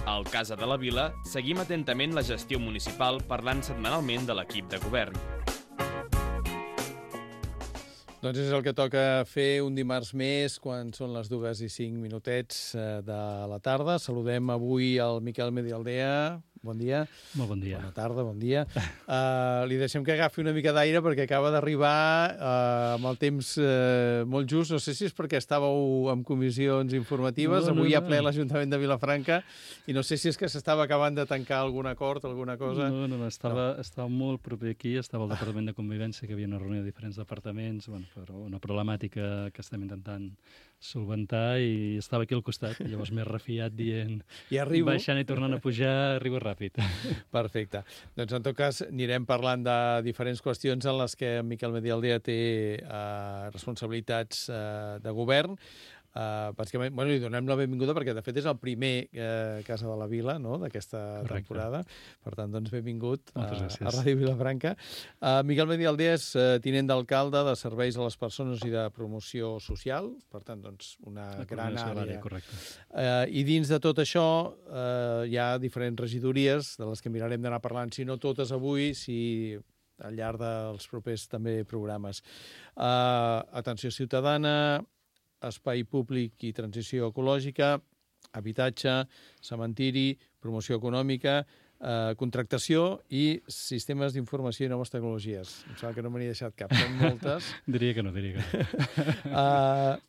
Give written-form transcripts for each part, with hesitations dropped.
Al Casa de la Vila seguim atentament la gestió municipal parlant setmanalment de l'equip de govern. Doncs és el que toca fer un dimarts més quan són les 2:05 de la tarda. Saludem avui al Miquel Medialdea. Bon dia. Molt bon dia. Bona tarda, bon dia. Li deixem que agafi una mica d'aire perquè acaba d'arribar amb el temps molt just. No sé si és perquè estàveu en comissions informatives. Avui hi ha ple l'Ajuntament de Vilafranca i no sé si és que s'estava acabant de tancar algun acord, alguna cosa. No, estava molt proper aquí, estava al Departament de Convivència, que hi havia una reunió de diferents departaments, però una problemàtica que estem intentant solventar i estava aquí al costat. Llavors m'he refiat dient, baixant i tornant a pujar, arribo ràpid. Perfecte. Doncs en tot cas anirem parlant de diferents qüestions en les que Miquel Medialdea té responsabilitats de govern. Bàsicament, li donem la benvinguda perquè de fet és el primer Casa de la Vila, no?, d'aquesta temporada. Per tant, doncs benvingut a Ràdio Vilafranca. Miquel Medialdea és tinent d'alcalde de Serveis a les Persones i de Promoció Social, per tant, doncs, una gran àrea. Correcte. I dins de tot això hi ha diferents regidories de les que mirarem d'anar parlant, si no totes avui, si al llarg dels propers també programes. Atenció ciutadana, espai públic i transició ecològica, habitatge, cementiri, promoció econòmica, contractació i sistemes d'informació i noves tecnologies. Em sembla que no me n'he deixat cap, són moltes. Diria que no.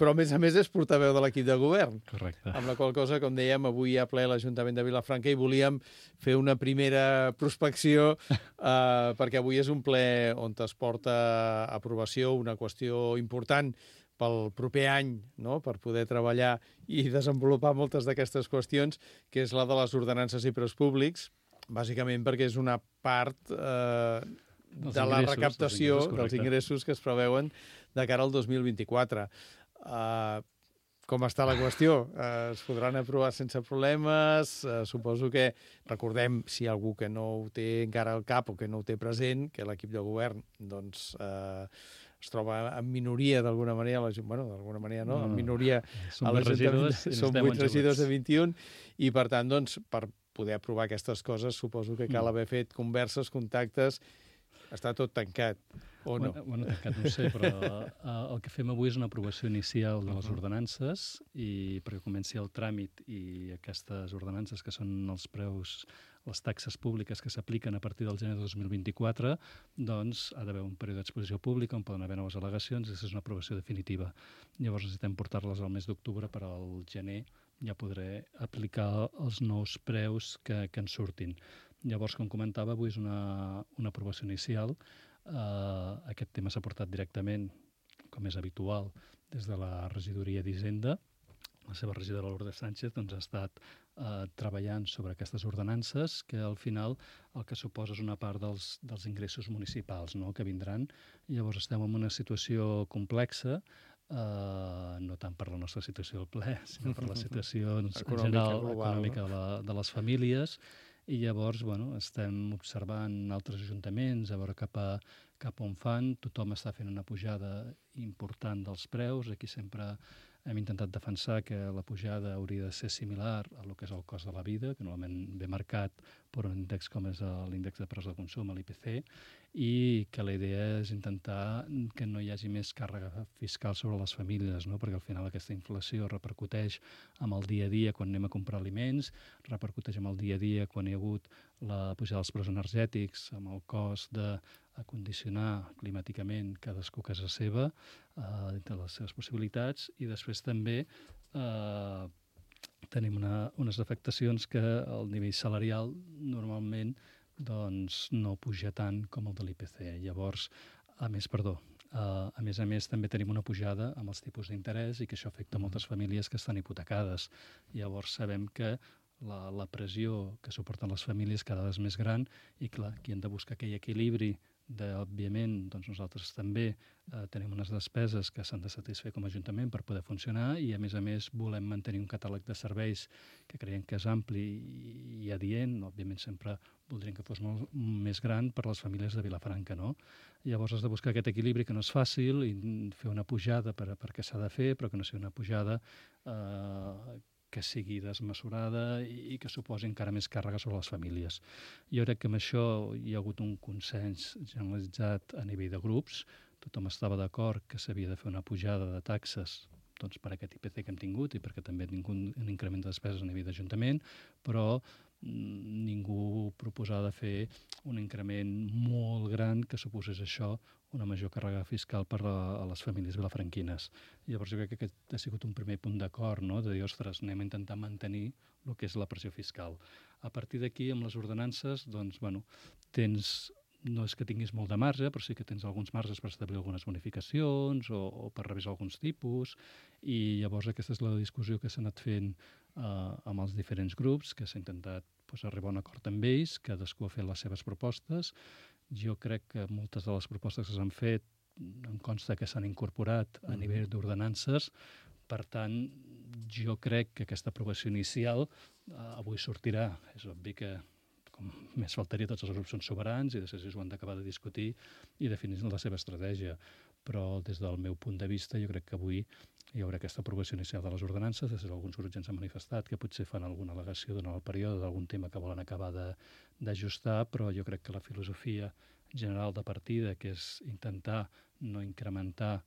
Però, a més, és portaveu de l'equip de govern. Correcte. Amb la qual cosa, com dèiem, avui hi ha ple l'Ajuntament de Vilafranca i volíem fer una primera prospecció perquè avui és un ple on es porta a aprovació una qüestió important pel proper any, no?, per poder treballar i desenvolupar moltes d'aquestes qüestions, que és la de les ordenances i preus públics, bàsicament perquè és una part de la recaptació dels ingressos que es preveuen de cara al 2024. Com està la qüestió? Es podran aprovar sense problemes? Suposo que, recordem, si hi ha algú que no ho té encara al cap o que no ho té present, que l'equip de govern, doncs, es troba en minoria d'alguna manera, d'alguna manera no, en minoria a l'Ajuntament, som 8 regidors de 21, i per tant, doncs, per poder aprovar aquestes coses, suposo que cal haver fet converses, contactes, està tot tancat, o no? Bueno, tancat no ho sé, però el que fem avui és una aprovació inicial de les ordenances i perquè comenci el tràmit i aquestes ordenances que són els preus, les taxes públiques que s'apliquen a partir del gener de 2024, doncs ha d'haver un període d'exposició pública on poden haver noves al·legacions i aquesta és una aprovació definitiva. Llavors necessitem portar-les al mes d'octubre, per al gener ja podré aplicar els nous preus que ens surtin. Llavors, com comentava, avui és una aprovació inicial. Aquest tema s'ha portat directament, com és habitual, des de la regidoria d'Hisenda. La seva regidora Lourdes Sánchez doncs, ha estat treballant sobre aquestes ordenances que al final el que suposa és una part dels ingressos municipals, no?, que vindran. Llavors estem en una situació complexa, no tant per la nostra situació al ple, sinó per la situació general econòmica de les famílies. I llavors estem observant altres ajuntaments a veure cap on fan. Tothom està fent una pujada important dels preus. Aquí sempre hem intentat defensar que la pujada hauria de ser similar a lo que és el cost de la vida, que normalment ve marcat per un índex com és l'índex de preus de consum, l'IPC, i que la idea és intentar que no hi hagi més càrrega fiscal sobre les famílies, no?, perquè al final aquesta inflació repercuteix amb el dia a dia quan anem a comprar aliments, repercuteix amb el dia a dia quan hi ha hagut la pujada dels preus energètics, amb el cost d'acondicionar climàticament cadascú a casa seva, dintre de les seves possibilitats, i després també tenim unes afectacions que el nivell salarial normalment doncs, no puja tant com el de l'IPC. Llavors, a més a més, també tenim una pujada amb els tipus d'interès i que això afecta moltes famílies que estan hipotecades. Llavors, sabem que la pressió que suporten les famílies cada vegada és més gran i, clar, aquí hem de buscar aquell equilibri òbviament, doncs nosaltres també tenim unes despeses que s'han de satisfer com a Ajuntament per poder funcionar i, a més, volem mantenir un catàleg de serveis que creiem que és ampli i adient. Òbviament, sempre voldríem que fos molt més gran per a les famílies de Vilafranca, no? Llavors has de buscar aquest equilibri que no és fàcil i fer una pujada perquè s'ha de fer, però que no sigui una pujada que que sigui desmesurada i que suposi encara més càrrega sobre les famílies. Jo crec que amb això hi ha hagut un consens generalitzat a nivell de grups. Tothom estava d'acord que s'havia de fer una pujada de taxes per aquest IPC que hem tingut i perquè també ha tingut un increment de despeses a nivell d'Ajuntament, però ningú proposava de fer un increment molt gran que suposés això una major càrrega fiscal per a les famílies vilafranquines. Llavors jo crec que aquest ha sigut un primer punt d'acord, no? De dir, ostres, anem a intentar mantenir el que és la pressió fiscal. A partir d'aquí, amb les ordenances, doncs, bueno, no és que tinguis molt de marge, però sí que tens alguns marges per establir algunes bonificacions o per revisar alguns tipus, i llavors aquesta és la discussió que s'ha anat fent amb els diferents grups, que s'ha intentat arribar a un acord amb ells, cadascú ha fet les seves propostes. Jo crec que moltes de les propostes que s'han fet em consta que s'han incorporat a nivell d'ordenances. Per tant, jo crec que aquesta aprovació inicial avui sortirà. És obvi que més faltaria, tots els grups són soberans i després ho han d'acabar de discutir i definir la seva estratègia. Però des del meu punt de vista jo crec que avui hi haurà aquesta aprovació inicial de les ordenances. Després alguns grups ja ens han manifestat que potser fan alguna al·legació durant el període d'algun tema que volen acabar d'ajustar, però jo crec que la filosofia general de partida, que és intentar no incrementar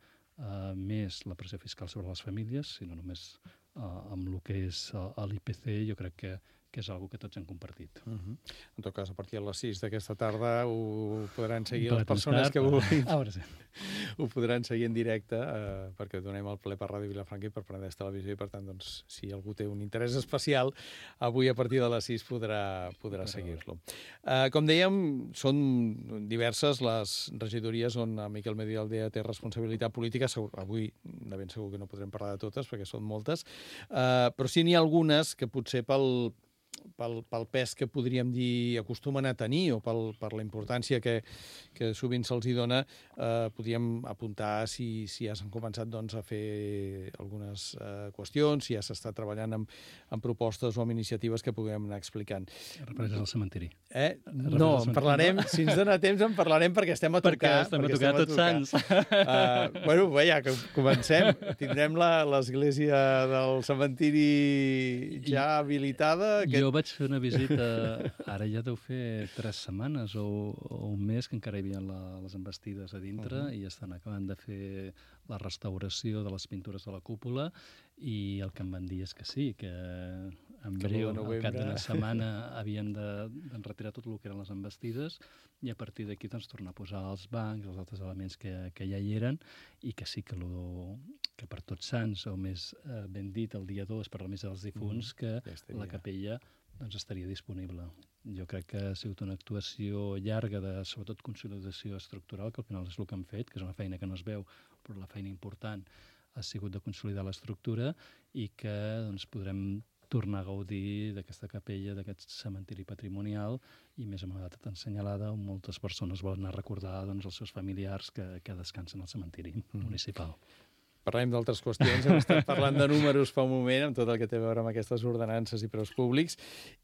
més la pressió fiscal sobre les famílies, sinó només amb el que és l'IPC, jo crec que és una que tots hem compartit. En tot cas, a partir de les 6 d'aquesta tarda ho podran seguir les persones que vulguin. Ho podran seguir en directe perquè donem el ple per Ràdio Vilafranca i per Penedès Televisió i, per tant, doncs, si algú té un interès especial, avui a partir de les 6 podrà seguir-lo. Com dèiem, són diverses les regidories on Miquel Medialdea té responsabilitat política. Avui de ben segur que no podrem parlar de totes perquè són moltes, però sí n'hi ha algunes que potser pel pes que podríem dir acostumen a tenir o per la importància que sovint se'ls dona, podríem apuntar si ja s'han començat a fer algunes qüestions, si ja s'està treballant amb propostes o amb iniciatives que puguem anar explicant. Refereix al cementiri. No, en parlarem, si ens dona temps en parlarem perquè estem a tocar. Perquè estem a tocar tots sants. Bueno, ja que comencem, tindrem l'església del cementiri ja habilitada. Jo vaig fer una visita, ara ja deu fer 3 setmanes o un mes, que encara hi havia les envestides a dintre i estan acabant de fer la restauració de les pintures de la cúpula i el que em van dir és que sí, que en breu, al cap d'una setmana, havien de retirar tot el que eren les envestides i a partir d'aquí tornar a posar els bancs, els altres elements que ja hi eren, i que sí que per Tots Sants, o més ben dit, el dia 2, per la missa dels difunts, que la capella estaria disponible. Jo crec que ha sigut una actuació llarga de, sobretot, consolidació estructural, que al final és el que han fet, que és una feina que no es veu, però la feina important ha sigut de consolidar l'estructura i que podrem tornar a gaudir d'aquesta capella, d'aquest cementiri patrimonial i més amb una data tan assenyalada on moltes persones volen anar a recordar els seus familiars que descansen al cementiri municipal. Parlem d'altres qüestions, hem estat parlant de números fa un moment, amb tot el que té a veure amb aquestes ordenances i preus públics,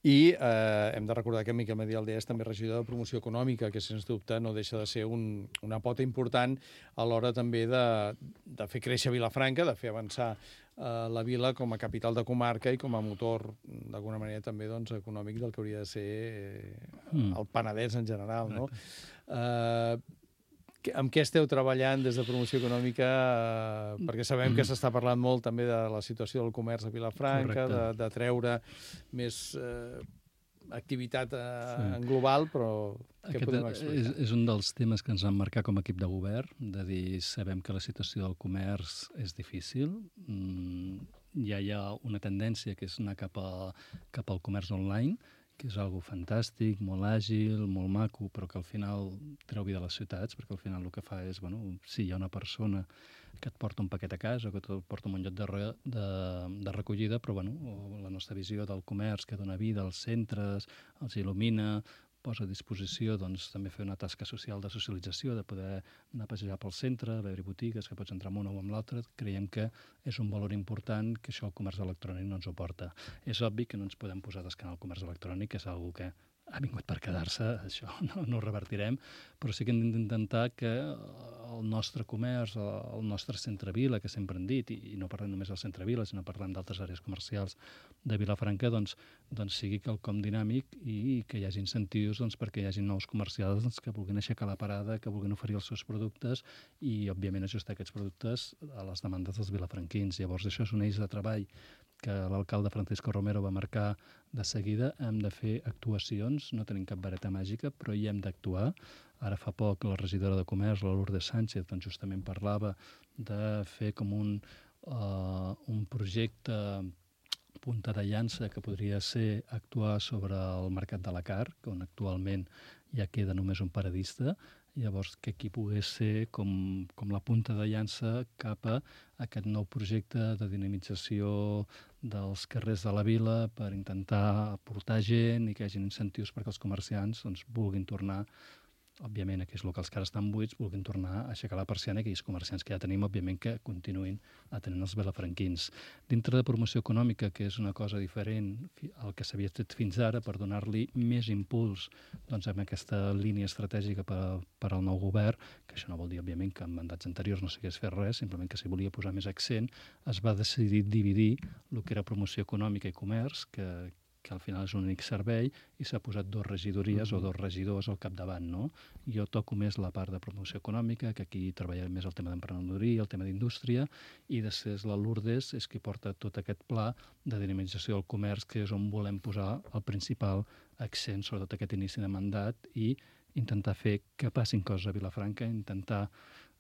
i hem de recordar que Miquel Medialdea és també regidor de promoció econòmica, que sens dubte no deixa de ser una pota important a l'hora també de fer créixer Vilafranca, de fer avançar la vila com a capital de comarca i com a motor, d'alguna manera, també econòmic del que hauria de ser el Penedès en general, no? Amb què esteu treballant des de promoció econòmica? Perquè sabem que s'està parlant molt també de la situació del comerç a Vilafranca, de treure més activitat en global, però què podem explicar? És un dels temes que ens han marcat com a equip de govern, de dir, sabem que la situació del comerç és difícil, ja hi ha una tendència que és anar cap al comerç online, que és algo fantàstic, molt àgil, molt maco, però que al final treu vida a les ciutats, perquè al final el que fa és, sí, hi ha una persona que et porta un paquet a casa o que et porta a un lloc de recollida, però la nostra visió del comerç que dona vida als centres, els il·lumina, posa a disposició també fer una tasca social de socialització, de poder anar a passejar pel centre, veure botigues, que pots entrar amb una o amb l'altra. Creiem que és un valor important que això el comerç electrònic no ens ho porta. És obvi que no ens podem posar d'esquena al comerç electrònic, que és una que ha vingut per quedar-se, això no ho revertirem, però sí que hem d'intentar que el nostre comerç, el nostre centre-vila, que sempre hem dit, i no parlem només del centre-vila, sinó parlem d'altres àrees comercials de Vilafranca doncs sigui quelcom dinàmic i que hi hagi incentius perquè hi hagi nous comercials que vulguin aixecar la parada, que vulguin oferir els seus productes i, òbviament, ajustar aquests productes a les demandes dels vilafranquins. Llavors, això és un eix de treball que l'alcalde Francisco Romero va marcar de seguida. Hem de fer actuacions, no tenim cap vareta màgica, però hi hem d'actuar. Ara fa poc la regidora de Comerç, la Lourdes Sánchez, doncs justament parlava de fer com un projecte punta de llança que podria ser actuar sobre el mercat de la carn, on actualment ja queda només un paradista. Llavors, que aquí pogués ser com la punta de llança cap a aquest nou projecte de dinamització dels carrers de la vila per intentar aportar gent i que hi hagi incentius perquè els comerciants vulguin tornar, òbviament, aquells locals que ara estan buits, vulguin tornar a aixecar la persiana i aquells comerciants que ja tenim, òbviament, que continuïn atenent els vilafranquins. Dintre de promoció econòmica, que és una cosa diferent al que s'havia fet fins ara, per donar-li més impuls amb aquesta línia estratègica per al nou govern, que això no vol dir, òbviament, que en mandats anteriors no s'hagués fet res, simplement que s'hi volia posar més accent, es va decidir dividir el que era promoció econòmica i comerç, que al final és un únic servei, i s'ha posat 2 regidories o 2 regidors al capdavant, no? Jo toco més la part de promoció econòmica, que aquí treballem més el tema d'emprenedoria, el tema d'indústria, i després la Lourdes és qui porta tot aquest pla de dinamització del comerç, que és on volem posar el principal accent, sobretot aquest inici de mandat, i intentar fer que passin coses a Vilafranca, intentar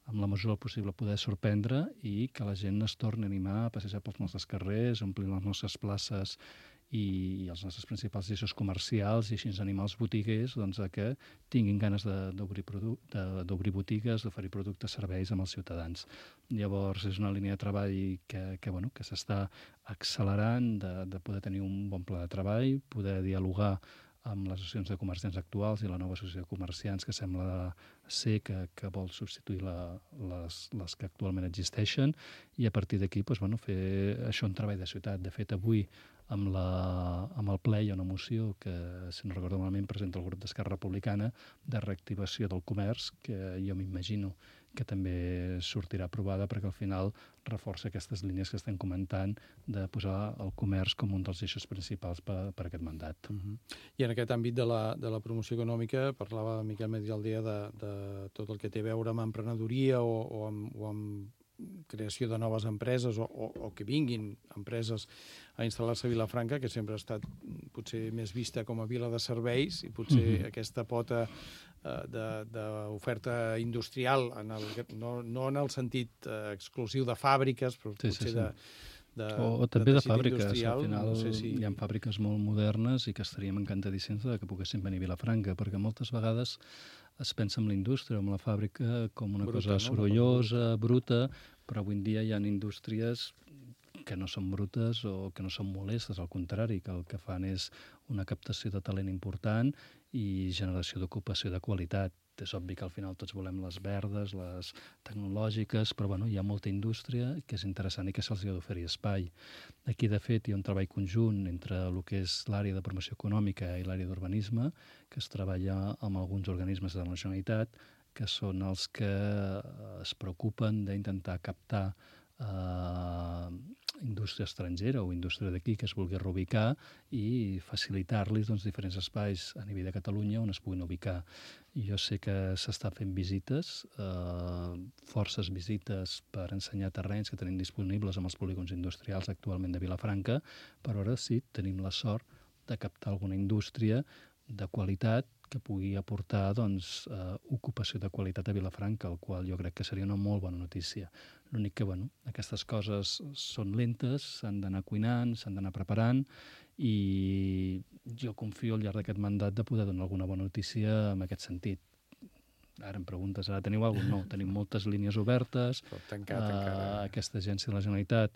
amb la mesura del possible poder sorprendre i que la gent es torni a animar a passejar pels nostres carrers, omplir les nostres places i els nostres principals eixos comercials i així animar els botiguers a que tinguin ganes d'obrir botigues, d'oferir productes, serveis amb els ciutadans. Llavors, és una línia de treball que s'està accelerant, de poder tenir un bon pla de treball, poder dialogar amb les associacions de comerciants actuals i la nova associació de comerciants que sembla ser que vol substituir les que actualment existeixen, i a partir d'aquí fer això un treball de ciutat. De fet, avui amb el ple hi ha una moció que, si no recordo malament, presenta el grup d'Esquerra Republicana de reactivació del comerç, que jo m'imagino que també sortirà aprovada perquè al final reforça aquestes línies que estem comentant de posar el comerç com un dels eixos principals per aquest mandat. I en aquest àmbit de la promoció econòmica parlava Miquel Medialdea de tot el que té a veure amb emprenedoria o amb creació de noves empreses o que vinguin empreses a instal·lar-se a Vilafranca, que sempre ha estat potser més vista com a vila de serveis, i potser aquesta pota d'oferta industrial, no en el sentit exclusiu de fàbriques, però potser o també de fàbriques. Al final hi ha fàbriques molt modernes i que estaríem encantadíssims que poguessin venir a Vilafranca, perquè moltes vegades es pensa en la indústria, en la fàbrica, com una cosa sorollosa, bruta, però avui en dia hi ha indústries que no són brutes o que no són molestes, al contrari, que el que fan és una captació de talent important i generació d'ocupació de qualitat. És obvi que al final tots volem les verdes, les tecnològiques, però hi ha molta indústria que és interessant i que se'ls ha d'oferir espai. Aquí, de fet, hi ha un treball conjunt entre el que és l'àrea de promoció econòmica i l'àrea d'urbanisme, que es treballa amb alguns organismes de la Generalitat, que són els que es preocupen d'intentar captar indústria estrangera o indústria d'aquí que es vulgui reubicar i facilitar-los diferents espais a nivell de Catalunya on es puguin ubicar. Jo sé que s'estan fent visites, forces visites per ensenyar terrenys que tenim disponibles amb els polígons industrials actualment de Vilafranca, però ara sí tenim la sort de captar alguna indústria de qualitat que pugui aportar ocupació de qualitat a Vilafranca, el qual jo crec que seria una molt bona notícia. L'únic que, aquestes coses són lentes, s'han d'anar cuinant, s'han d'anar preparant, i jo confio al llarg d'aquest mandat de poder donar alguna bona notícia en aquest sentit. Ara em preguntes, ara teniu alguna cosa? No, tenim moltes línies obertes. Aquesta agència de la Generalitat,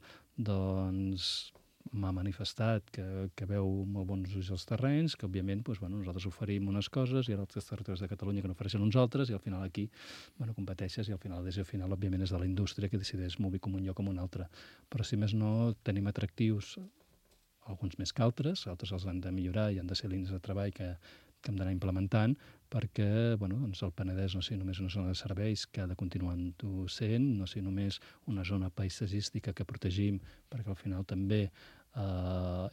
m'ha manifestat que veu molt bons ulls als terrenys, que òbviament nosaltres oferim unes coses i altres territoris de Catalunya que n'ofereixen uns altres, i al final aquí competeixes i al final la decisió final òbviament és de la indústria que decideix m'ubico en un lloc o en un altre. Però si més no tenim atractius, alguns més que altres els han de millorar i han de ser línies de treball que que hem d'anar implementant perquè doncs el Penedès no sigui només una zona de serveis que ha de continuar sent, no sigui només una zona paisatgística que protegim perquè al final també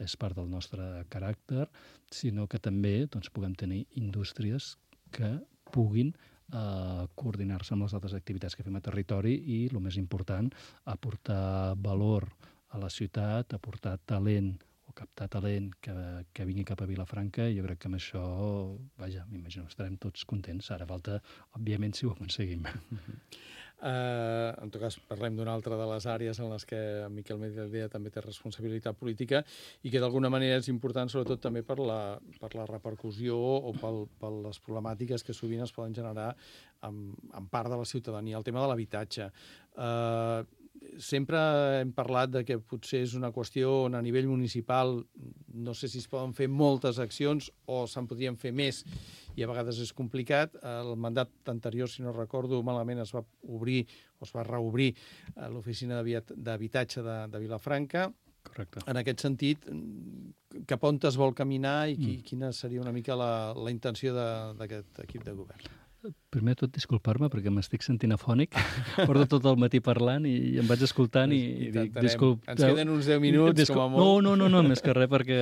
és part del nostre caràcter, sinó que també puguem tenir indústries que puguin coordinar-se amb les altres activitats que fem a territori i, el més important, aportar valor a la ciutat, aportar talent o captar talent que vingui cap a Vilafranca, i jo crec que amb això, m'imagino, estarem tots contents. Ara falta, òbviament, si ho aconseguim. En tot cas, parlem d'una altra de les àrees en les que en Miquel Medialdea també té responsabilitat política i que d'alguna manera és important, sobretot també per la repercussió o per les problemàtiques que sovint es poden generar en part de la ciutadania. El tema de l'habitatge. Sempre hem parlat de que potser és una qüestió on a nivell municipal no sé si es poden fer moltes accions o se'n podrien fer més i a vegades és complicat. El mandat anterior, si no recordo malament, es va obrir o es va reobrir l'oficina d'habitatge de Vilafranca. Correcte. En aquest sentit, cap on es vol caminar i quina seria una mica la intenció d'aquest equip de govern? Primer de tot, disculpar-me, perquè m'estic sentint afònic. Porto tot el matí parlant i em vaig escoltant i dic, disculpeu. Ens queden uns 10 minuts, com a molt. No, més que res, perquè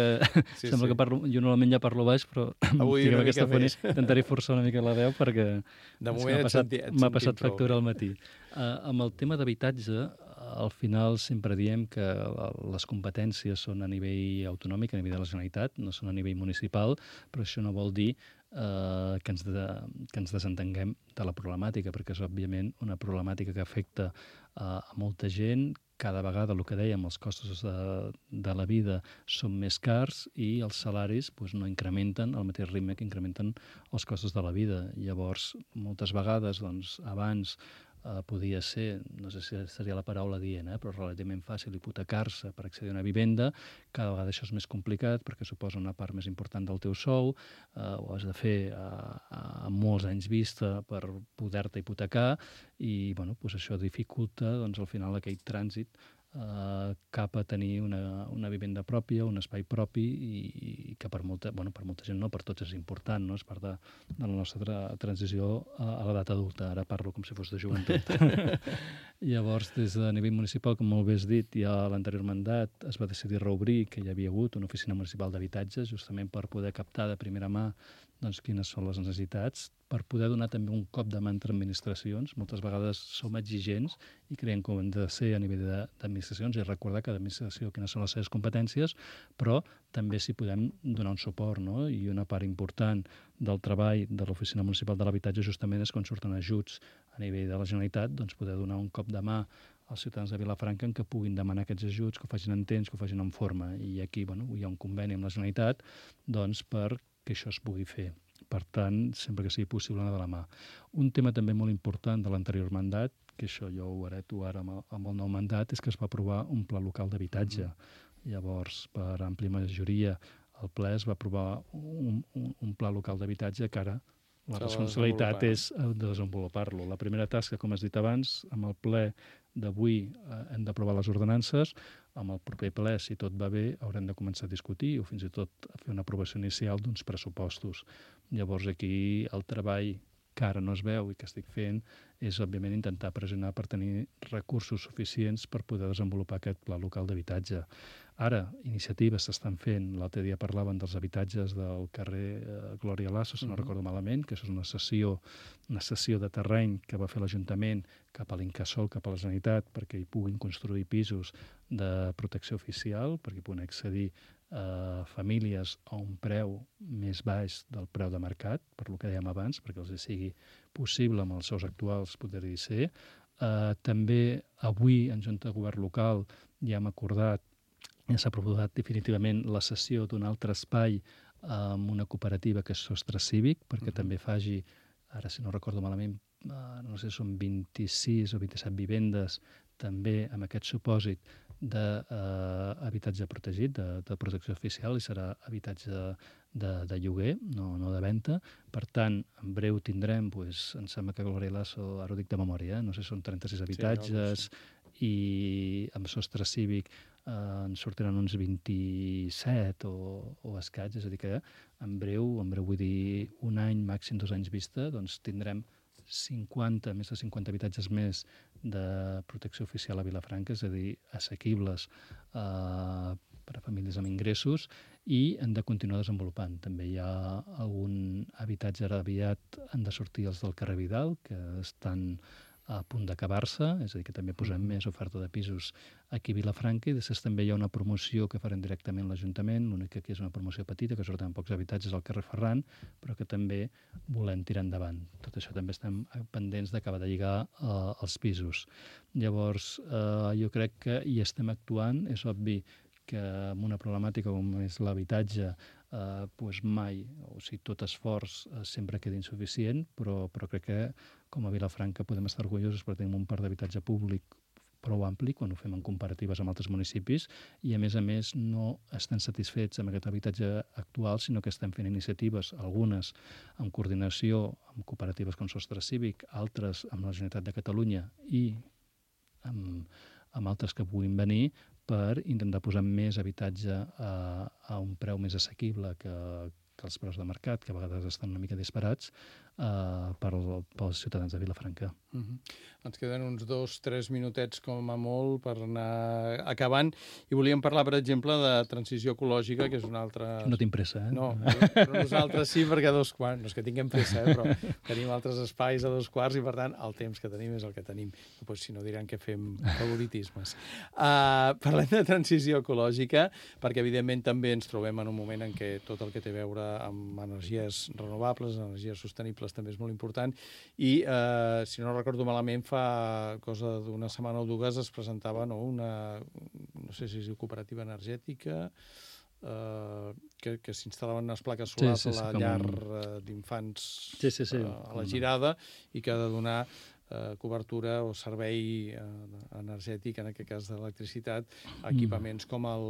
sembla que parlo, jo normalment ja parlo baix, però avui una mica més. Intentaré forçar una mica la veu, perquè de moment m'ha passat factura al matí. Amb el tema d'habitatge, al final sempre diem que les competències són a nivell autonòmic, a nivell de la Generalitat, no són a nivell municipal, però això no vol dir que ens desentenguem de la problemàtica, perquè és, òbviament, una problemàtica que afecta a molta gent. Cada vegada, el que dèiem, els costos de la vida són més cars i els salaris no incrementen al mateix ritme que incrementen els costos de la vida. Llavors, moltes vegades, abans podia ser, no sé si seria la paraula dient, però relativament fàcil hipotecar-se per accedir a una vivenda. Cada vegada això és més complicat perquè suposa una part més important del teu sou, ho has de fer a molts anys vista per poder-te hipotecar i això dificulta al final aquell trànsit cap a tenir una vivenda pròpia, un espai propi i que per molta gent no, per tots és important, no? És part de la nostra transició a l'edat adulta. Ara parlo com si fos de joventut. Llavors, des de nivell municipal, com molt bé has dit, ja a l'anterior mandat es va decidir reobrir que hi havia hagut una oficina municipal d'habitatge justament per poder captar de primera mà quines són les necessitats, per poder donar també un cop de mà entre administracions. Moltes vegades som exigents i creiem que ho hem de ser a nivell d'administracions i recordar cada administració quines són les seves competències, però també si podem donar un suport, no? I una part important del treball de l'Oficina Municipal de l'Habitatge justament és quan surten ajuts a nivell de la Generalitat, poder donar un cop de mà als ciutadans de Vilafranca en què puguin demanar aquests ajuts, que ho facin en temps, que ho facin en forma. I aquí hi ha un conveni amb la Generalitat per que això es pugui fer. Per tant, sempre que sigui possible, anar de la mà. Un tema també molt important de l'anterior mandat, que això jo ho hereto ara amb el nou mandat, és que es va aprovar un pla local d'habitatge. Llavors, per àmplia majoria, el ple es va aprovar un pla local d'habitatge que ara la responsabilitat és desenvolupar-lo. La primera tasca, com has dit abans, amb el ple d'avui hem d'aprovar les ordenances. Amb el proper ple, si tot va bé, haurem de començar a discutir o fins i tot a fer una aprovació inicial d'uns pressupostos. Llavors aquí el treball que ara no es veu i que estic fent és, òbviament, intentar pressionar per tenir recursos suficients per poder desenvolupar aquest pla local d'habitatge. Ara, iniciatives s'estan fent. L'altre dia parlaven dels habitatges del carrer Glòria Lasso, si no recordo malament, que això és una cessió de terreny que va fer l'Ajuntament cap a l'Incasòl, cap a la Generalitat, perquè hi puguin construir pisos de protecció oficial, perquè hi puguin accedir famílies a un preu més baix del preu de mercat, per lo que dèiem abans, perquè els sigui possible amb els seus actuals poder-hi ser. També avui, en Junta de Govern Local, ja hem acordat, ja s'ha aprovat definitivament la cessió d'un altre espai amb una cooperativa que és Sostre Cívic, perquè també faci, ara si no recordo malament, no sé si són 26 o 27 vivendes, també amb aquest supòsit d'habitatge protegit, de protecció oficial, i serà habitatge de lloguer, no de venda. Per tant, en breu tindrem, em sembla que Glòria Lasso, ara ho dic de memòria, no sé si són 36 habitatges, i amb sostre cívic en sortiran uns 27 o escaig, és a dir que en breu vull dir un any, màxim 2 anys vista, doncs tindrem més de 50 habitatges més de protecció oficial a Vilafranca, és a dir, assequibles per a famílies amb ingressos, i han de continuar desenvolupant. També hi ha algun habitatge ara aviat, han de sortir els del carrer Vidal, que estan a punt d'acabar-se, és a dir, que també posem més oferta de pisos aquí a Vilafranca, i després també hi ha una promoció que farem directament l'Ajuntament, l'únic que aquí és una promoció petita, que surten pocs habitatges al carrer Ferran, però que també volem tirar endavant. Tot això també estem pendents d'acabar de lligar els pisos. Llavors, jo crec que hi estem actuant, és obvi que amb una problemàtica com és l'habitatge mai, o sigui, tot esforç sempre queda insuficient, però crec que com a Vilafranca podem estar orgullosos perquè tenim un parc d'habitatge públic prou ampli quan ho fem en comparatives amb altres municipis i, a més, no estem satisfets amb aquest habitatge actual, sinó que estem fent iniciatives, algunes en coordinació amb cooperatives com Sostre Cívic, altres amb la Generalitat de Catalunya i amb altres que puguin venir, per intentar posar més habitatge a un preu més assequible que els preus de mercat, que a vegades estan una mica disparats, pels ciutadans de Vilafranca. Ens queden uns 2-3 minutets com a molt per anar acabant i volíem parlar, per exemple, de transició ecològica, que és una altra... No tinc pressa, eh? No, però nosaltres sí, perquè a 2:15, no és que tinguem pressa, però tenim altres espais a 2:15 i, per tant, el temps que tenim és el que tenim. Pues, si no, diran que fem favoritismes. Parlem de transició ecològica, perquè, evidentment, també ens trobem en un moment en què tot el que té a veure amb energies renovables, energies sostenibles, també és molt important, i, si no recordo malament, fa cosa d'una setmana o dues es presentava una, no sé si es diu cooperativa energètica, que s'instal·laven unes plaques solars a la llar d'infants a la Girada i que ha de donar cobertura o servei energètic, en aquest cas d'electricitat, a equipaments com el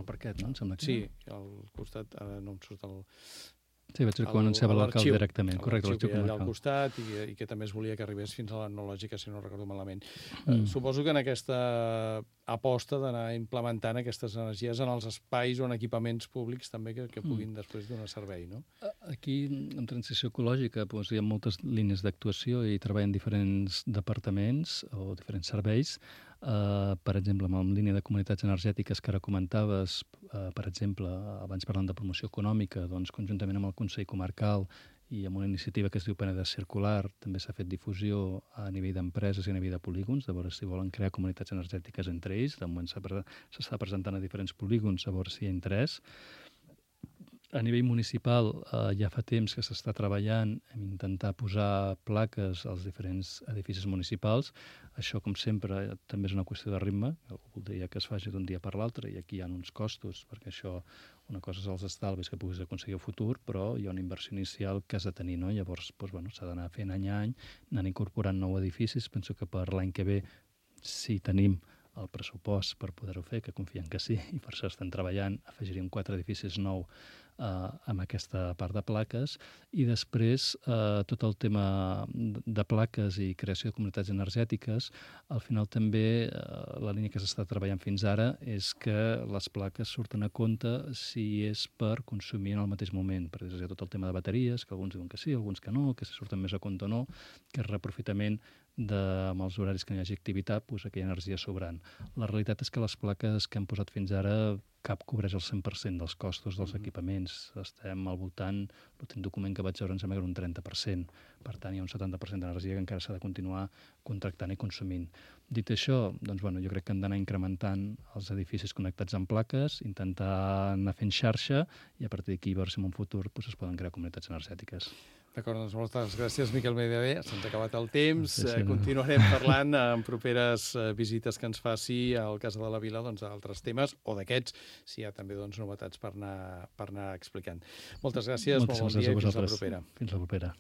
parquet, no? Em sembla que sí, al costat, no em surt el... Sí, vaig dir que ho anunciava l'alcalde directament. Correcte, l'arxiu que hi ha allà al costat i que també es volia que arribés fins a l'etnològica, si no recordo malament. Suposo que en aquesta aposta d'anar implementant aquestes energies en els espais o en equipaments públics també que puguin després donar servei, no? Aquí, en transició ecològica, hi ha moltes línies d'actuació i treballen diferents departaments o diferents serveis. Per exemple, en línia de comunitats energètiques que ara comentaves, per exemple, abans parlant de promoció econòmica, doncs conjuntament amb el Consell Comarcal i amb una iniciativa que es diu Penedès Circular també s'ha fet difusió a nivell d'empreses i a nivell de polígons, a veure si volen crear comunitats energètiques entre ells. De moment s'està presentant a diferents polígons, a veure si hi ha interès. A nivell municipal ja fa temps que s'està treballant en intentar posar plaques als diferents edificis municipals. Això, com sempre, també és una qüestió de ritme. Algú voldria que es faci d'un dia per l'altre i aquí hi ha uns costos, perquè això, una cosa és els estalvis que puguis aconseguir al futur, però hi ha una inversió inicial que has de tenir, no? Llavors, s'ha d'anar fent any a any, anant incorporant nous edificis. Penso que per l'any que ve, si tenim el pressupost per poder-ho fer, que confiem que sí, i per això estem treballant, afegiríem 4 edificis nous amb aquesta part de plaques, i després tot el tema de plaques i creació de comunitats energètiques. Al final també la línia que s'està treballant fins ara és que les plaques surten a compte si és per consumir en el mateix moment, perquè hi ha tot el tema de bateries, que alguns diuen que sí, alguns que no, que si surten més a compte o no, que és reaprofitament amb els horaris que no hi hagi activitat, aquella energia sobrant. La realitat és que les plaques que hem posat fins ara cap cobreix el 100% dels costos dels equipaments. Estem al voltant, l'últim document que vaig veure em sembla que era un 30%. Per tant, hi ha un 70% d'energia que encara s'ha de continuar contractant i consumint. Dit això, doncs, jo crec que hem d'anar incrementant els edificis connectats amb plaques, intentar anar fent xarxa i a partir d'aquí veure si en un futur es poden crear comunitats energètiques. D'acord, doncs moltes gràcies, Miquel Medevé. Se'ns ha acabat el temps. Continuarem parlant en properes visites que ens faci al Casa de la Vila d'altres temes o d'aquests, si hi ha també novetats per anar explicant. Moltes gràcies, molt bon dia i fins la propera. Fins la propera.